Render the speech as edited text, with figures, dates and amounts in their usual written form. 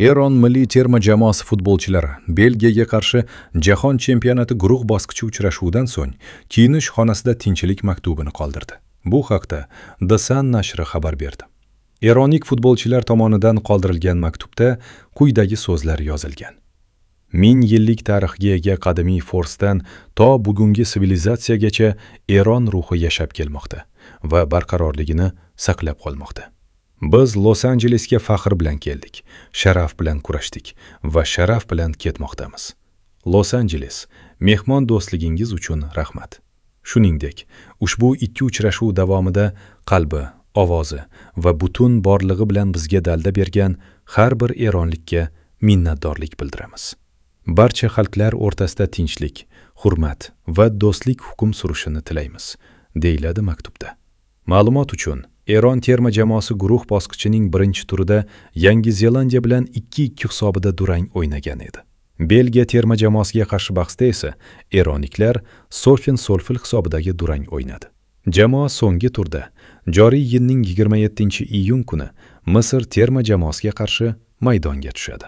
Eron milliy terma jamoasi futbolchilari Belgiyaga qarshi Jahon chempionati guruh bosqichi uchrashuvidan so'ng kiyinish xonasida tinchlik maktubini qoldirdi. Bu haqda The Sun nashri xabar berdi. Eronlik futbolchilar tomonidan qoldirilgan maktubda quyidagi so'zlar yozilgan: Ming yillik tarixga ega qadimiy Forsdan to bugungi sivilizatsiyagacha Eron ruhi yashab kelmoqda va barqarorligini saqlab qolmoqda. Biz Los-Anjelesga faxr bilan keldik, sharaf bilan kurashdik va sharaf bilan ketmoqdamiz. Los-Anjeles, mehmon do'stligingiz uchun rahmat. Shuningdek, ushbu ikki uchrashuv davomida qalbi, ovozi va butun borlig'i bilan bizga dalda bergan har bir eronlikka minnatdorlik bildiramiz. Barcha xalqlar o'rtasida tinchlik, hurmat va do'stlik hukm surishini tilaymiz, deyiladi maktubda. Ma'lumot uchun, Eron terma jamoasi guruh bosqichining birinchi turida Yangi Zelandiya bilan 2-2 hisobida durang o'ynagan edi. Belgiya terma jamoasiga qarshi bahsda esa eronliklar Sofin Solfil hisobidagi durang o'ynadi. Jamoa so'nggi turda joriy yilning 27-iyun kuni Misr terma jamoasiga qarshi maydonga tushadi.